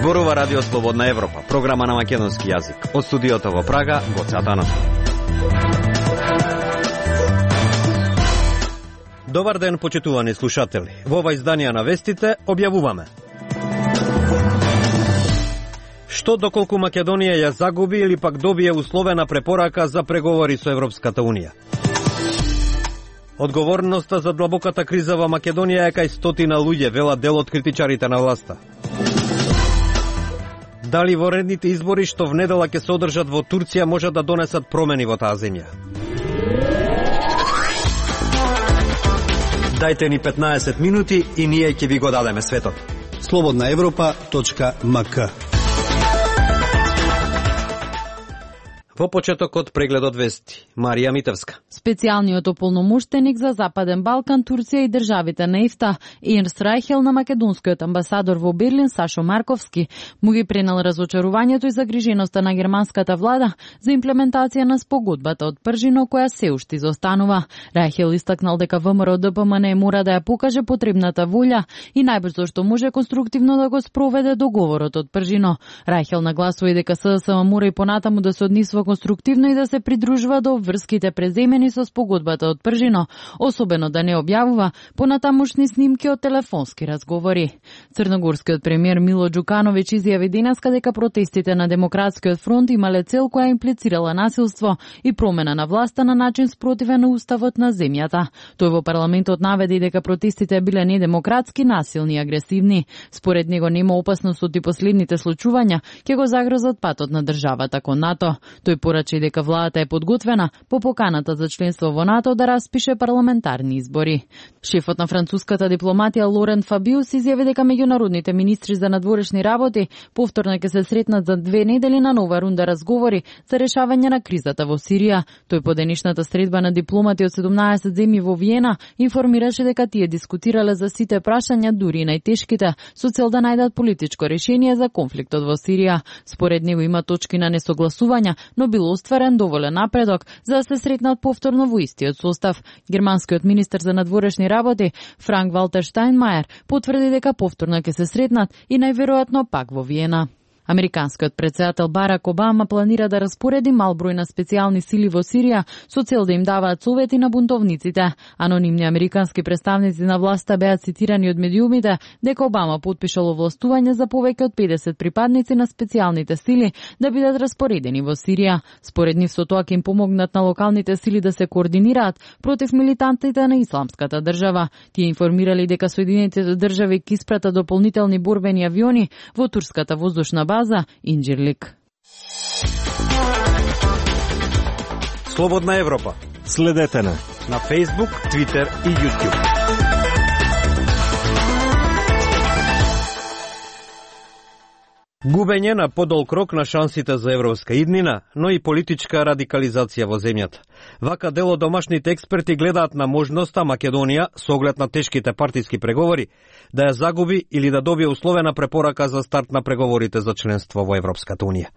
Зборува Радио Слободна Европа, програма на македонски јазик. Од студиото во Прага, Гоце Атанов. Добар ден, почитувани слушатели. Во ова изданија на вестите објавуваме: што доколку Македонија ја загуби или пак добие условена препорака за преговори со Европската Унија. Одговорноста за длабоката криза во Македонија е кај стотина луѓе, велат дел од критичарите на власта. Дали во редните избори што внедела ќе се одржат во Турција може да донесат промени во таа земја? Дајте ни 15 минути и ние ќе ви го дадеме светот. slobodnaevropa.mk. Во почетокот прегледот вести, Марија Митевска. Специјалниот ополномоштеник за Западен Балкан, Турција и државите на ЕФТА, Ернст Рајхел, на македонскиот амбасадор во Берлин, Сашо Марковски, му ги пренел разочарувањето и загриженоста на германската влада за имплементација на спогодбата од Пржино, која се уште изостанува. Рајхел истакнал дека ВМРО ДПМН мора да ја покаже потребната волја и најбрзо што може конструктивно да го спроведе договорот од Пржино. Рајхел нагласува и дека СДСМ мора и понатаму да се однесува конструктивно и да се придружува до обврските преземени со спогодбата од Пржино, особено да не објавува понатамушни снимки од телефонски разговори. Црногорскиот премиер Мило Џукановиќ изјави денеска дека протестите на Демократскиот фронт имале цел која имплицирала насилство и промена на власта на начин спротивен на уставот на земјата. Тој во парламентот наведе дека протестите биле недемократски, насилни и агресивни. Според него нема опасност од последните случувања ќе го загрозат патот на државата кон НАТО. Тој порача дека владата е подготвена по поканата за членство во НАТО да распише парламентарни избори. Шефот на француската дипломатија Лорен Фабиус изјави дека меѓународните министри за надворешни работи повторно ќе се сретнат за 2 недели на нова рунда разговори за решавање на кризата во Сирија. Тој по денешната средба на дипломати од 17 земји во Виена информираше дека тие дискутирале за сите прашања, дури и најтешките, со цел да најдат политичко решение за конфликтот во Сирија. Според него има точки на несогласувања, но бил остварен доволен напредок за да се сретнат повторно во истиот состав. Германскиот министер за надворешни работи Франк Валтер Штајнмајер потврди дека повторно ќе се сретнат и најверојатно пак во Виена. Американскиот претседател Барак Обама планира да распореди мал број на специјални сили во Сирија со цел да им даваат совети на бунтовниците. Анонимни американски представници на власта беа цитирани од медиумите дека Обама потпишал овластување за повеќе од 50 припадници на специјалните сили да бидат распоредени во Сирија. Според нив со тоа ќе им помогнат на локалните сили да се координираат против милитантите на Исламската држава. Тие информирали дека Соединетите држави ќе испратат дополнителни борбени авиони во турската воздушна база Инџирлик. Слободна Европа. Следете на Facebook, Twitter и YouTube. Губење на подолг рок на шансите за европска иднина, но и политичка радикализација во земјата. Вака дел од домашните експерти гледаат на можноста Македонија, со оглед на тешките партиски преговори, да ја загуби или да добие условена препорака за старт на преговорите за членство во Европската Унија.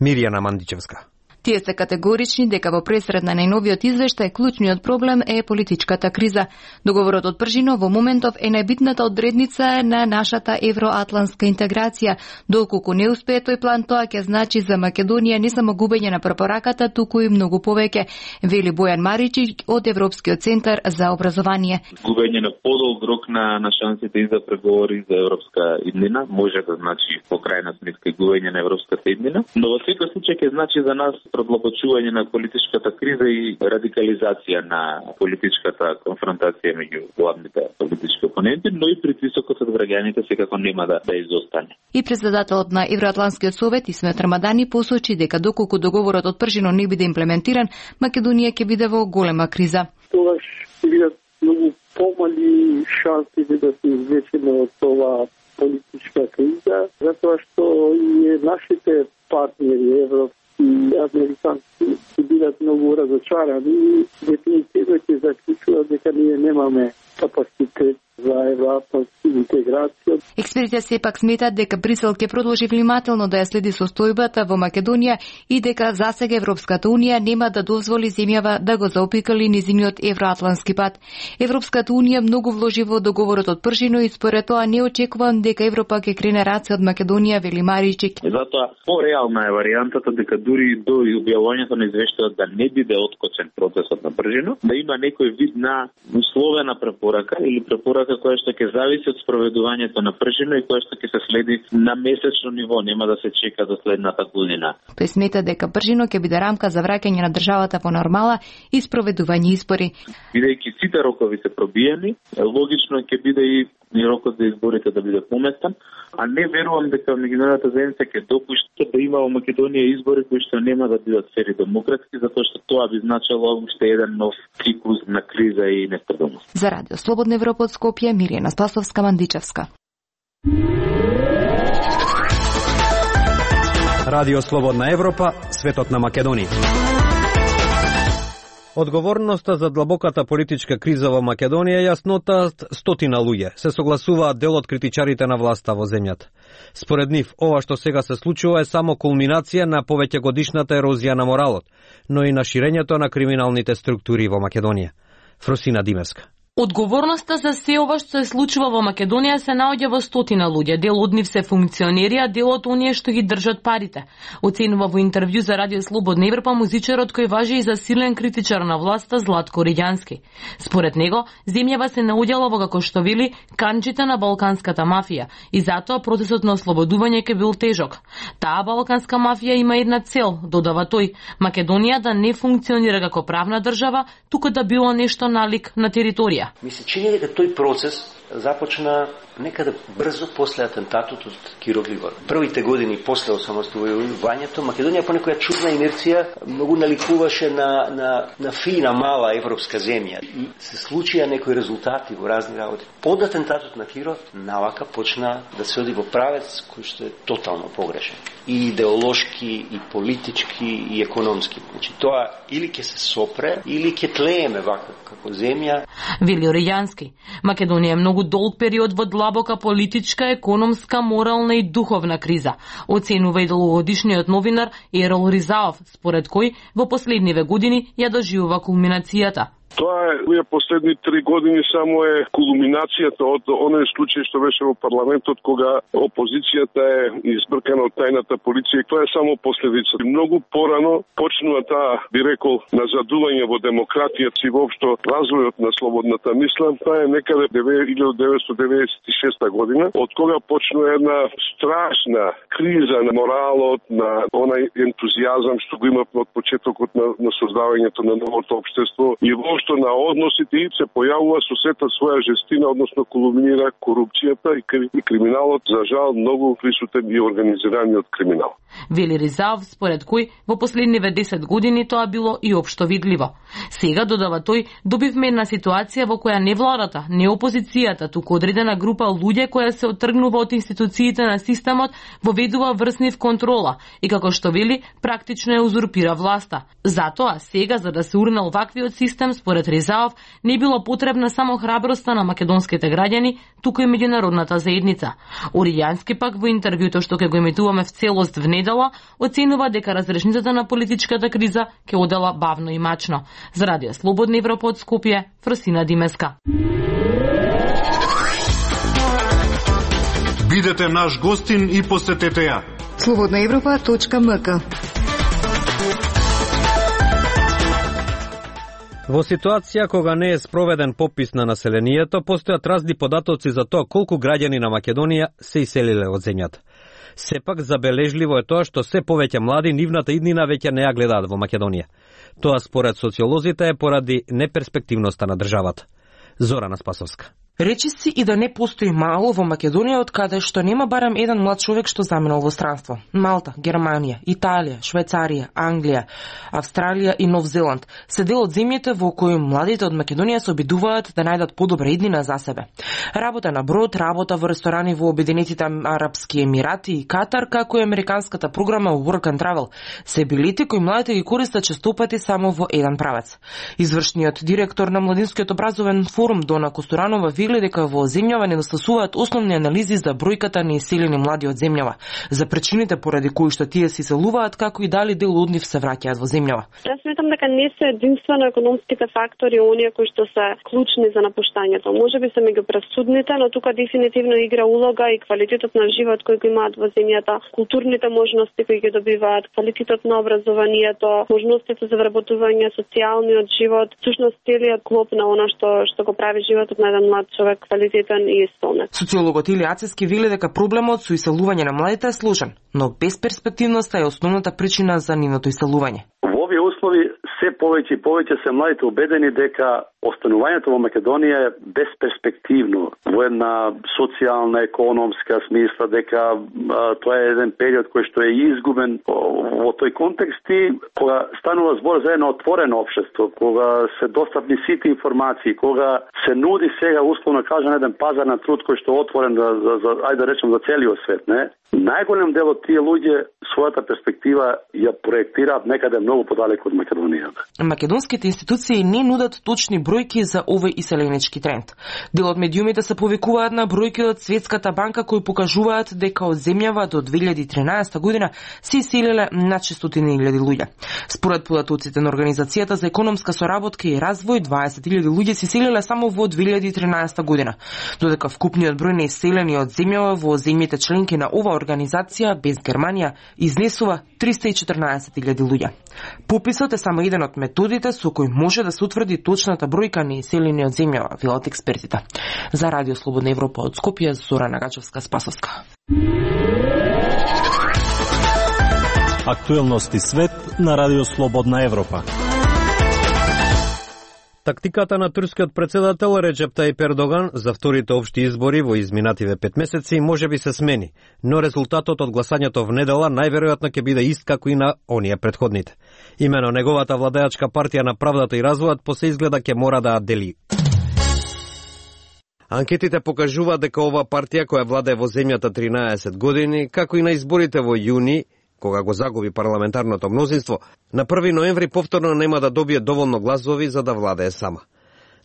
Мирјана Мандичевска. Тие се категорични дека во пресред на најновиот извештај клучниот проблем е политичката криза. Договорот од Пржино во моментов е најбитната одредница на нашата евроатлантска интеграција. Доколку не успее тој план, тоа ќе значи за Македонија не само губење на препораката, туку и многу повеќе, вели Бојан Маричи од Европскиот центар за образование. Губење на подолг рок на шансите и за преговори за европска иднина може да значи по крајна сметка губење на европската иднина, но во секој случај ќе значи за нас продлабочување на политичката криза и радикализација на политичката конфронтација меѓу главните политички опоненти, но и притисокот од граѓаните секако нема да изостане. И председателот на Евроатлантскиот совет Исмет Рамадани посочи дека доколку договорот од Пржино не биде имплементиран, Македонија ќе биде во голема криза. Тогаш ќе бидат многу помали шансите да се извлечеме од ова политичка криза, затоа што и нашите партнери европски и американски ќе бидат многу разочарани и дефинитивно ќе заклучуваат дека ние немаме капацитет за евроатлантска интеграција. Експертите сепак сметат дека Брисел ќе продолжи внимателно да ја следи состојбата во Македонија и дека засега Европската унија нема да дозволи земјава да го заопикали низиниот евроатлантски пат. Европската унија многу вложи во договорот од Пржино и според тоа не очекувам дека Европа ќе крене раце од Македонија, вели Маричик. Затоа пореална е варијантата дека дури до објавувањето на извештајот да не биде откочен процесот на Пржино, да има некој вид на условена препорака или препорака која што ќе зависи од спроведувањето на Пржино и која што ќе се следи на месечно ниво, нема да се чека до следната година. Тој смета дека Пржино ќе биде рамка за враќање на државата во нормала и спроведување избори. Бидејќи сите рокови се пробиени, логично ќе биде и рокот за изборите да биде поместен, а не верувам дека меѓународната заедница ќе допушти да има во Македонија избори кои што нема да бидат фер и демократски, затоа што тоа би значело уште еден нов циклус на криза и нестабилност. За Радио Слободна Европа од Скопје, Мирјана Спасовска-Мандичевска. Радио Слободна Европа, светот на Македонија. Одговорноста за длабоката политичка криза во Македонија јаснотаат стотина луѓе. Се согласуваат дел од критичарите на власта во земјата. Според нив, ова што сега се случува е само кулминација на повеќегодишната ерозија на моралот, но и на ширењето на криминалните структури во Македонија. Фросина Димевска. Одговорноста за се ова што се случува во Македонија се наоѓа во стотина луѓе. Дел од нив се функционери, а дел од оние што ги држат парите. Оценува во интервју за Радио Слободна Европа музичарот кој важи и за силен критичар на власта Златко Риѓански. Според него, земјава се наоѓала во, како што вели, канџите на балканската мафија и затоа процесот на ослободување ќе бил тежок. Таа балканска мафија има една цел, додава тој, Македонија да не функционира како правна држава, туку да било нешто налик на територија. Ми се чини дека тој процес започна некаде брзо после атентатот од Киро Григор. Првите години после осамостојувањето Македонија по некоја чудна инерција многу наликуваше на фина мала европска земја и се случија некои резултати во разни работи. Под атентатот на Киро навака почна да се оди во правец кој што е тотално погрешен. И идеолошки, и политички, и економски. Значи тоа или ќе се сопре, или ќе тлееме вака како земја. Вели Риѓански. Македонија е многу долг период во длабока политичка, економска, морална и духовна криза. Оценува и долгогодишниот новинар Ерол Ризаов, според кој во последниве години ја доживува кулминацијата. Тоа е, овие последни 3 години само е кулминацијата од оној случај што беше во парламентот кога опозицијата е избркана од тајната полиција. Тоа е само последица. Многу порано почнува таа, би рекол, назадување во демократијата и воопшто развојот на слободната мисла. Тоа е некаде 1996 година, од кога почнува една страшна криза на моралот, на онај ентузијазам што го има од почетокот на создавањето на новото општество и воопшто на односите и се појавува со сета своја жестина, односно кулминира корупцијата и криминалот, за жал многу присутен и организираниот криминал. Вели Ризаов, според кој во последниве 10 години тоа било и општо видливо. Сега, додава тој, добивме една ситуација во која не владата, не опозицијата, туку одредена група луѓе која се оттргнува од институциите на системот, воведува врснив контрола и, како што вели, практично ја узурпира власта. Затоа, сега, за да се урнал ваквиот систем, според Ризаов, не било потребна само храброста на македонските граѓани, туку и меѓународната заедница. Оријански пак во интервјуто што ќе го емитуваме в целост в недела, оценува дека разрешницата на политичката криза ќе одела бавно и мачно. За Радио Слободна Европа од Скопје, Фросина Димеска. Бидете наш гостин и посетете ја. slobodnaevropa.mk. Во ситуација кога не е спроведен попис на населението, постојат разни податоци за тоа колку граѓани на Македонија се иселиле од земјата. Сепак забележливо е тоа што се повеќе млади нивната иднина веќе не ја гледаат во Македонија. Тоа според социолозите е поради неперспективноста на државата. Зорана Спасовска. Речи си и да не постои мало во Македонија од каде што нема барем еден млад човек што заминал во странство. Малта, Германија, Италија, Швајцарија, Англија, Австралија и Нов Зеланд се дел од земјите во кои младите од Македонија се обидуваат да најдат подобра иднина за себе. Работа на брод, работа во ресторани во Обединетите Арапски Емирати и Катар, како и американската програма Work and Travel, се билите кои младите ги користат честопати само во еден правец. Извршниот директор на Младинскиот образовен форум Дона Костуранова вели дека во земјава недостасуваат основни анализи за бројката на иселени млади од земјава, за причините поради кои што тие се иселуваат, како и дали дел од нив се враќаат во земјава. Јас сметам дека не се единствено економските фактори оние кои што се клучни за напуштањето. Можеби се меѓупресудните, но тука дефинитивно игра улога и квалитетот на живот кој го имаат во земјата, културните можности кои ги добиваат, квалитетот на образованието, можностите за вработување, социјалниот живот, всушност целиот клоп на она што го прави животот на еден млад човек квалитетен и исполнет. Социологот Илија Ацевски вели дека проблемот со иселување на младите е сложен, но безперспективноста е основната причина за нивното иселување. Во овие услови се повеќе и повеќе се младите убедени дека останувањето во Македонија е безперспективно во една социјална, економска смисла, дека тоа е еден период кој што е изгубен во тој контекст и кога станува збор за едно отворено општество, кога се достапни сите информации, кога се нуди сега условно кажан еден пазар на труд кој што е отворен за ајде да речем за целиот свет, не? Најголем дел од тие луѓе својата перспектива ја проектираат некаде многу подалеку од Македонија. Македонските институции не нудат точни бројки за овој иселенички тренд. Дел од медиумите се повикуваат на бројки од Светската банка кои покажуваат дека од земјава до 2013 година се иселиле над 600.000 луѓе. Според податоците на Организацијата за економска соработка и развој, 20.000 луѓе се иселиле само во 2013 година, додека вкупниот број на иселени од земјава во земјите членки на ова организација без Германија изнесува 314.000 луѓе. Пописот е само еден од методите со кој може да се утврди точната бројка на иселени од земјава, велат експертите. За Радио Слободна Европа од Скопје, Зора Нагачевска-Спасовска. Актуелности свет на Радио Слободна Европа. Тактиката на турскиот председател Реджеп Тајип Ердоган за вторите општи избори во изминативе 5 месеци може би се смени, но резултатот од гласањето в недела најверојатно ќе биде ист како и на оние претходните. Имено неговата владеачка партија на правдата и развојот по се изгледа ќе мора да дели. Анкетите покажуваат дека ова партија која владее во земјата 13 години, како и на изборите во јуни, кога го загуби парламентарното мнозинство, на 1 ноември повторно нема да добие доволно гласови за да владее сама.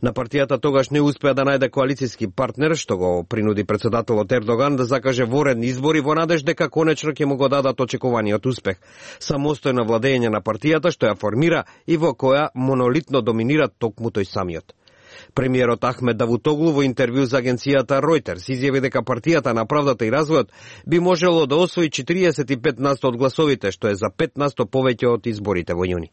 На партијата тогаш не успеа да најде коалицијски партнер, што го принуди председателот Ердоган да закаже воредни избори во надеж дека конечно ќе му го дадат очекуваниот успех. Самостојно владење на партијата што ја формира и во која монолитно доминира токму тој самиот. Премиерот Ахмед Давутоглу во интервју за агенцијата Reuters изјави дека партијата на правдата и развојот би можело да освои 45% од гласовите, што е за 5% повеќе од изборите во јуни.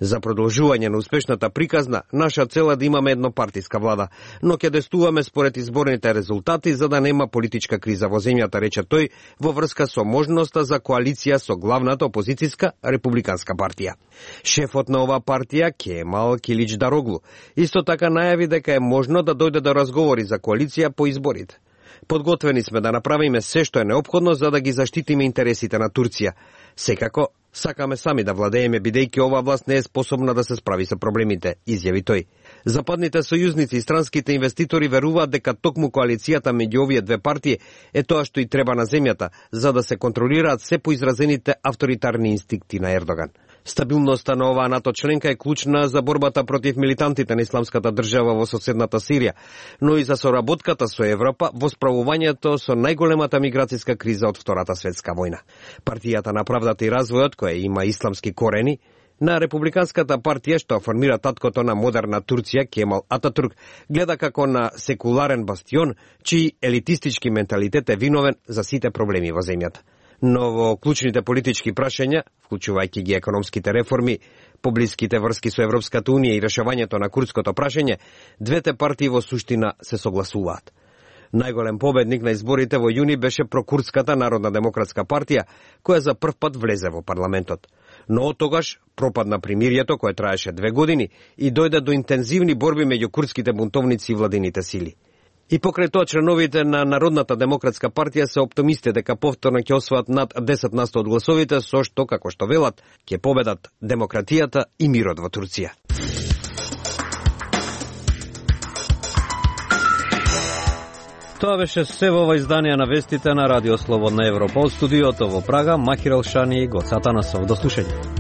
За продолжување на успешната приказна, наша цел е да имаме еднопартиска влада, но ќе действуваме според изборните резултати за да нема политичка криза во земјата, рече тој, во врска со можноста за коалиција со главната опозицијска републиканска партија. Шефот на оваа партија, Кемал Киличдароглу, исто така најави дека е можно да дојде до разговори за коалиција по изборите. Подготвени сме да направиме се што е неопходно за да ги заштитиме интересите на Турција. Секако, сакаме сами да владееме бидејќи оваа власт не е способна да се справи со проблемите, изјави тој. Западните сојузници и странските инвеститори веруваат дека токму коалицијата меѓу овие две партии е тоа што и треба на земјата, за да се контролираат се поизразените авторитарни инстинкти на Ердоган. Стабилноста на оваа НАТО членка е клучна за борбата против милитантите на исламската држава во соседната Сирија, но и за соработката со Европа во справувањето со најголемата миграцијска криза од Втората светска војна. Партијата на правдата и развојот, која има исламски корени, на републиканската партија што формира таткото на модерна Турција, Кемал Ататурк, гледа како на секуларен бастион, чиј елитистички менталитет е виновен за сите проблеми во земјата. Но во клучните политички прашања, вклучувајќи ги економските реформи, поблиските врски со Европската Унија и решавањето на курдското прашање, двете партии во суштина се согласуваат. Најголем победник на изборите во јуни беше прокурдската Народна демократска партија, која за прв пат влезе во парламентот. Но од тогаш пропадна примирието кое траеше 2 години и дојде до интензивни борби меѓу курдските бунтовници и владините сили. И покрај тоа членовите на Народната демократска партија се оптимисти дека повторно ќе освоат над 10% од гласовите, со што, како што велат, ќе победат демократијата и мирот во Турција. Тоа беше се во ова издание на вестите на Радио Слободна Европа. Од студиото во Прага, Махир Елшани и Гоцата Насов. До слушање.